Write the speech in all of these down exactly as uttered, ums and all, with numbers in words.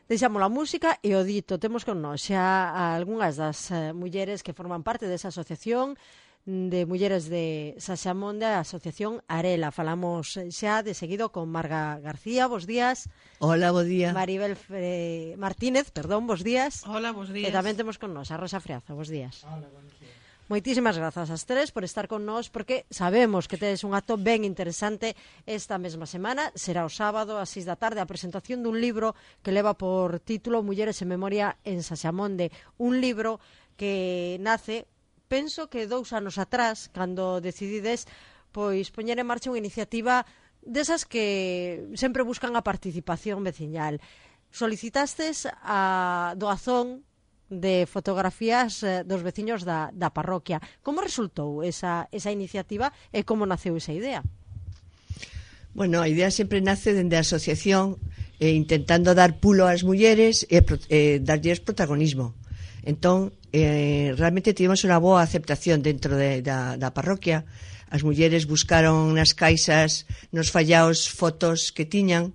deixamos a música e o dito. Temos con nós xa algunhas das uh, mulleres que forman parte desa asociación de mulleres de Saxamonde, a Asociación Arela. Falamos xa de seguido con Marga García, bos días. Hola, bos días. Maribel Fre... Martínez, perdón, bos días. Hola, bos días. E tamén temos con nós a Rosa Freaza, bos días. Hola, bons días. Moitísimas grazas ás tres por estar con nós, porque sabemos que tedes un acto ben interesante esta mesma semana. Será o sábado ás seis da tarde a presentación dun libro que leva por título Mulleres en Memoria en Saxamonde. Un libro que nace, penso que dous anos atrás, cando decidides pois poñer en marcha unha iniciativa desas que sempre buscan a participación veciñal. Solicitastes a doazón de fotografías eh, dos veciños da, da parroquia. Como resultou esa, esa iniciativa e como naceu esa idea? Bueno, a idea sempre nace dende a asociación eh, intentando dar pulo ás mulleres e eh, darlles protagonismo. Entón, eh, realmente tivemos unha boa aceptación dentro de, da, da parroquia. As mulleres buscaron nas caixas, nos fallaos, fotos que tiñan,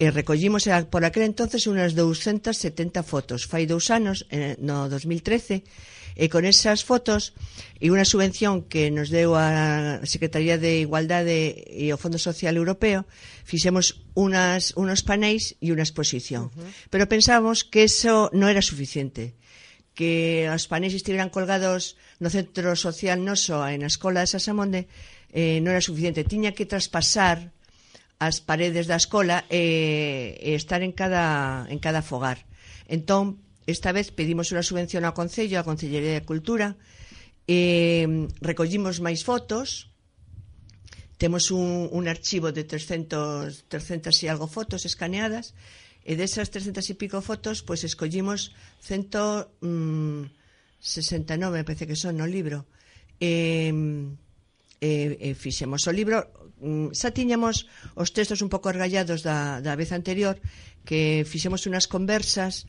e recollimos por aquel entonces unas doscientas setenta fotos, fai dous anos, no dos mil trece, e con esas fotos e unha subvención que nos deu a Secretaría de Igualdade e o Fondo Social Europeo, fixemos unas, unos panéis e unha exposición. Uh-huh. Pero pensábamos que eso non era suficiente, que os panéis estiveran colgados no centro social noso e na escola de Saxamonde eh, non era suficiente, tiña que traspasar as paredes da escola e, e estar en cada, en cada fogar. Entón, esta vez pedimos unha subvención ao Concello, á Concellería de Cultura, e recollimos máis fotos, temos un, un archivo de trescentas e algo fotos escaneadas, e desas trescentas e pico fotos, pois escollimos ciento sesenta e nove, me parece que son no libro, e, e, e fixemos o libro. Xa tiñamos os textos un pouco argallados da, da vez anterior, que fixemos unhas conversas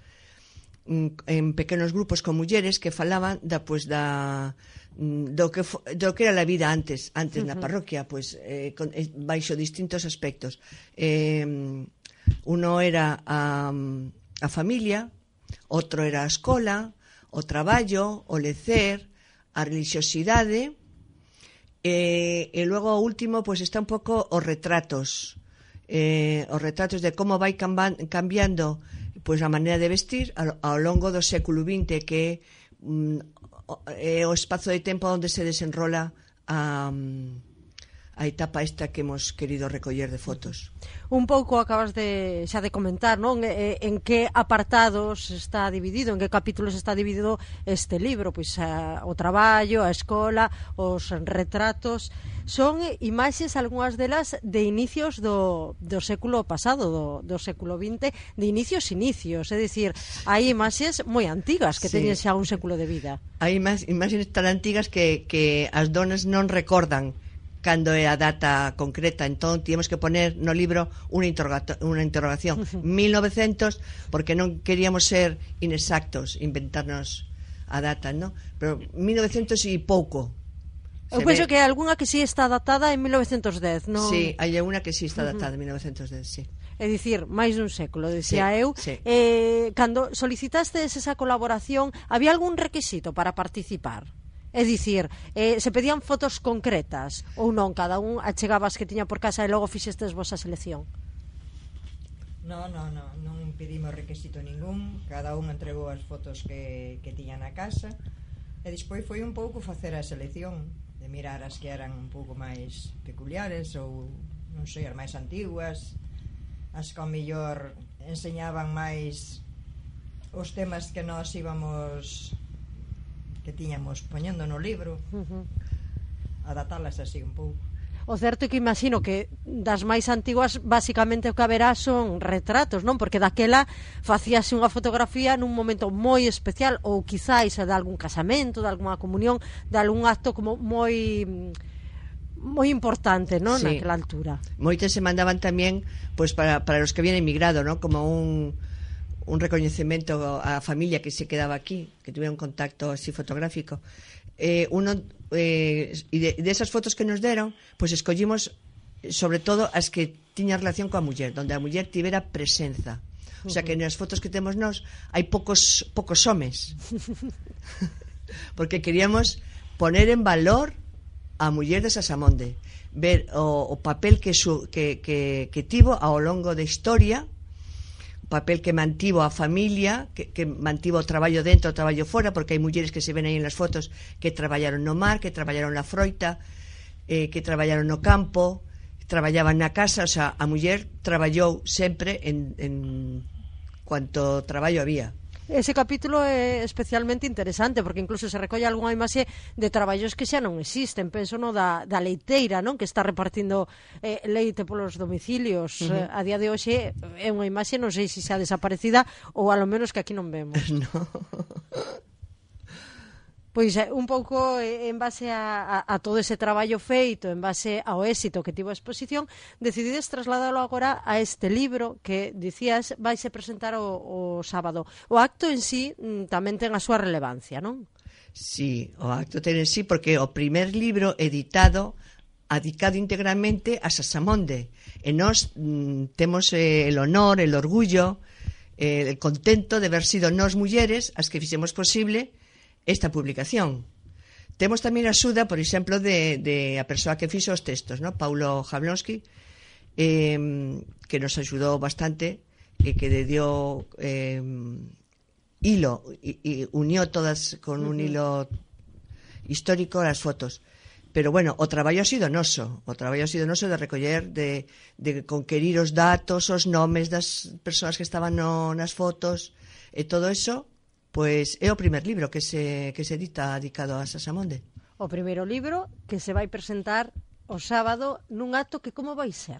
en pequenos grupos con mulleres que falaban da, pues, da, do, que, do que era a vida antes antes uh-huh. na parroquia, pues, eh, con, eh, baixo distintos aspectos. Eh, uno era a, a familia, outro era a escola, o traballo, o lecer, a religiosidade. E, e logo o último pois está un pouco os retratos eh, os retratos de como vai cambiando pois a maneira de vestir ao, ao longo do século vinte, que mm, é o espazo de tempo onde se desenrola a, a etapa esta que hemos querido recoller de fotos. Un pouco acabas de xa de comentar, non? En que apartados está dividido, en que capítulos está dividido este libro, pois a, o traballo, a escola, os retratos. Son imaxes, algunhas delas de inicios do, do século pasado, do, do século vinte, de inicios inicios, é dicir, hai imaxes moi antigas que sí. teñen xa un século de vida. Hai imaxes tan antigas que, que as donas non recordan cando é a data concreta, entón tínhamos que poner no libro unha, unha interrogación mil novecientos, porque non queríamos ser inexactos, inventarnos a data, ¿no? Pero mil novecientos e pouco. Eu penso ve... que hai algunha que sí está datada en mil novecientos dez, non? Sí, hai unha que sí está datada en mil novecientos dez, sí. É dicir, máis dun século, dicía sí, eu. Sí. Eh, cando solicitaste esa colaboración, había algún requisito para participar? É dicir, eh, se pedían fotos concretas ou non, cada un achegabas que tiña por casa e logo fixestes vosa selección? Non, non, non, non pedimos requisito ningún, cada un entregou as fotos que, que tiña na casa, e despois foi un pouco facer a selección, de mirar as que eran un pouco máis peculiares ou, non sei, as máis antiguas, as que ao mellor enseñaban máis os temas que nós íbamos que tiñamos poñendo no libro, uh-huh. adaptalas así un pouco. O certo é que imagino que das máis antiguas basicamente o que haberá son retratos, non? Porque daquela facíase unha fotografía nun momento moi especial, ou quizáis de algún casamento, de algunha comunión, de algún acto como moi moi importante, non? Sí. Naquela altura. Moitas se mandaban tamén pois, para, para os que habían emigrado, non? Como un un recoñecemento á familia que se quedaba aquí, que tuviera un contacto así fotográfico. Eh, uno, eh, e de, de esas fotos que nos deron, pois pues escollimos sobre todo as que tiñan relación coa muller, donde a muller tivera presenza. O sea que nas fotos que temos nós hai poucos poucos homes. Porque queríamos poner en valor a muller de Sasamonde, ver o, o papel que, su, que, que, que tivo ao longo da historia, o papel que mantivo a familia, que, que mantivo o traballo dentro, o traballo fora, porque hai mulleres que se ven aí en las fotos que traballaron no mar, que traballaron na froita, eh, que traballaron no campo, traballaban na casa. O sea, a muller traballou sempre en, en cuanto traballo había. Ese capítulo é especialmente interesante porque incluso se recolle algunha imaxe de traballos que xa non existen. Penso no da, da leiteira, non, que está repartindo eh, leite polos domicilios. Uh -huh. eh, a día de hoxe é unha imaxe, non sei se xa desaparecida ou a lo menos que aquí non vemos. No. Pois un pouco en base a, a, a todo ese traballo feito, en base ao éxito que tivo a exposición, decidides trasladalo agora a este libro que, dicías, vaise presentar o, o sábado. O acto en sí tamén ten a súa relevancia, non? Sí, o acto ten en sí porque o primer libro editado adicado íntegramente a Sasamonde. E nós mm, temos eh, el honor, el orgullo, eh, el contento de haber sido nós mulleres as que fixemos posible esta publicación. Temos tamén a axuda, por exemplo, de, de a persoa que fixo os textos, ¿no? Paulo Jablonski, eh, que nos axudou bastante, e que le dio eh, hilo, y, y unió todas con un hilo histórico as fotos. Pero bueno, o traballo ha sido noso, o traballo ha sido noso de recoller, de, de conquerir os datos, os nomes das persoas que estaban no, nas fotos, e todo eso. Pois é o primer libro que se, que se edita dedicado a Sasamonde. O primeiro libro que se vai presentar o sábado nun acto que como vai ser?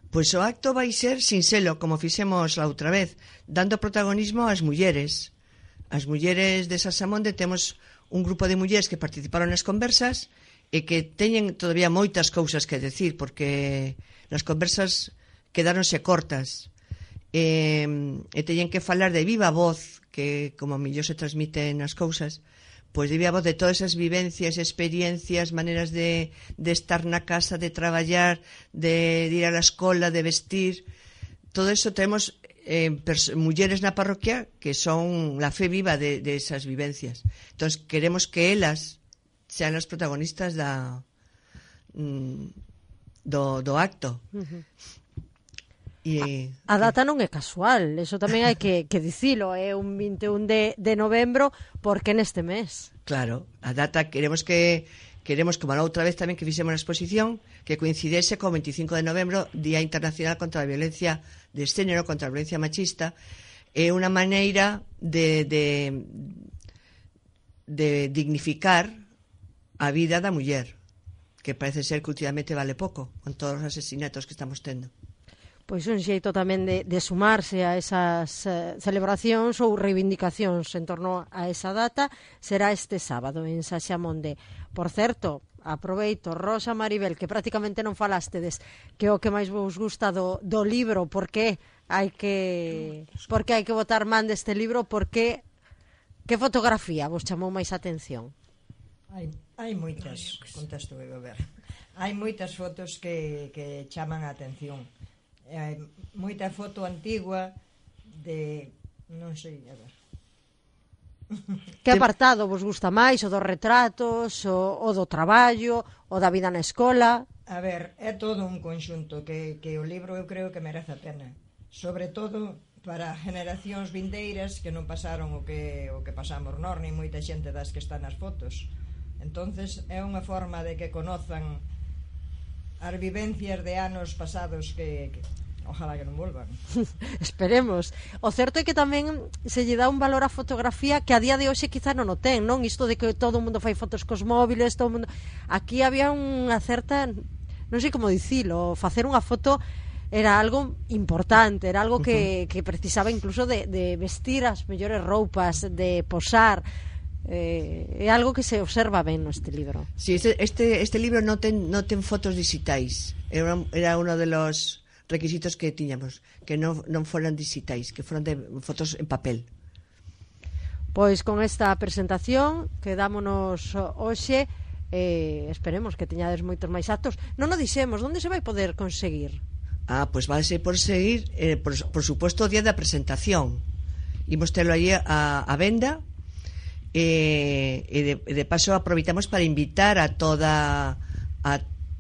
Pois o acto vai ser sinxelo, como fixemos a outra vez, dando protagonismo ás mulleres. As mulleres de Sasamonde temos un grupo de mulleres que participaron nas conversas e que teñen todavía moitas cousas que decir, porque nas conversas quedáronse cortas. E, e teñen que falar de viva voz, que como mellor se transmiten as cousas, pois de viva voz de todas esas vivencias, experiencias, maneras de, de estar na casa, de traballar, de, de ir a la escola, de vestir. Todo eso temos eh, mulleres na parroquia que son la fe viva de, de esas vivencias. Entón queremos que elas sean as protagonistas da mm, do, do acto. Uh-huh. E, a, a data non é casual, eso tamén hai que, que dicilo, é un vinte e un de, de novembro, porque neste mes. Claro, a data queremos que queremos, como a outra vez tamén que fixemos a exposición, que coincidese co veinticinco de novembro, Día Internacional contra a Violencia de Xénero, contra a violencia machista. É unha maneira de, de, de dignificar a vida da muller, que parece ser que últimamente vale pouco, con todos os asesinatos que estamos tendo. Pois un xeito tamén de, de sumarse a esas eh, celebracións ou reivindicacións en torno a esa data será este sábado en Sasamonde. Por certo, aproveito, Rosa Maribel, que prácticamente non falastedes, que é o que máis vos gusta do, do libro, por que hai que por que hai que botar man deste libro, por que que fotografía vos chamou máis atención? Hai, hai moitas, contesto eu a ver. Hai moitas fotos que, que chaman a atención. Hai moita foto antigua de, non sei, a ver. Que apartado vos gusta máis? O dos retratos, o, o do traballo, o da vida na escola? A ver, é todo un conxunto que, que o libro eu creo que merece a pena. Sobre todo para generacións vindeiras que non pasaron o que, o que pasamos nós, ni moita xente das que están nas fotos. Entonces é unha forma de que conozan as vivencias de anos pasados que, que ojalá que non volvan. Esperemos. O certo é que tamén se lle dá un valor á fotografía que a día de hoxe quizá non o ten, non? Isto de que todo o mundo fai fotos cos móviles, todo o mundo... Aquí había unha certa, non sei como dicilo, facer unha foto era algo importante, era algo que, que precisaba incluso de, de vestir as mellores roupas, de posar. Eh, é algo que se observa ben neste libro. Sí, este, este, este libro non ten, non ten fotos digitais. Era, era uno de los requisitos que tiñamos, que non, non foran digitais, que foran de fotos en papel. Pois con esta presentación quedámonos hoxe, eh, esperemos que teñades moitos máis actos. Non o dixemos, onde se vai poder conseguir? Ah, pois pues vai por seguir, eh, por, por suposto, o día da presentación. Imos telo aí a, a venda, e, e, de, e de paso aproveitamos para invitar a toda a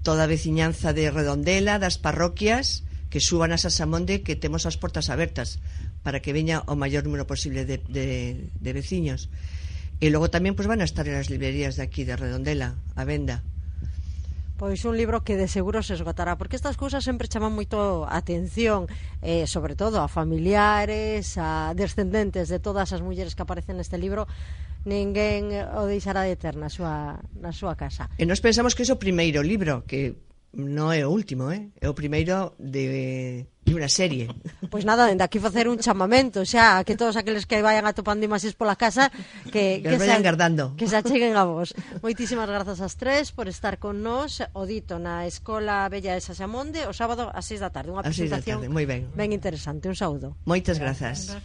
toda a veciñanza de Redondela, das parroquias, que suban a Sasamonde, que temos as portas abertas para que veña o maior número posible de, de, de veciños. E logo tamén pues, van a estar en as librerías de aquí de Redondela a venda. Pois un libro que de seguro se esgotará, porque estas cousas sempre chaman moito a atención, eh, sobre todo a familiares, a descendentes de todas as mulleres que aparecen neste libro. Ninguén o deixará de ter na súa, na súa casa. E nós pensamos que é o primeiro libro, que non é o último, eh? É o primeiro de, de unha serie. Pois nada, dende aquí facer un chamamento xa, que todos aqueles que vayan atopando imaxes pola casa que, que, que vayan guardando, que se acheguen a vos. Moitísimas grazas ás tres por estar con nós, o dito na Escola Bella de Sasamonde o sábado ás seis da tarde, unha presentación moi ben. ben interesante. Un saúdo. Moitas grazas.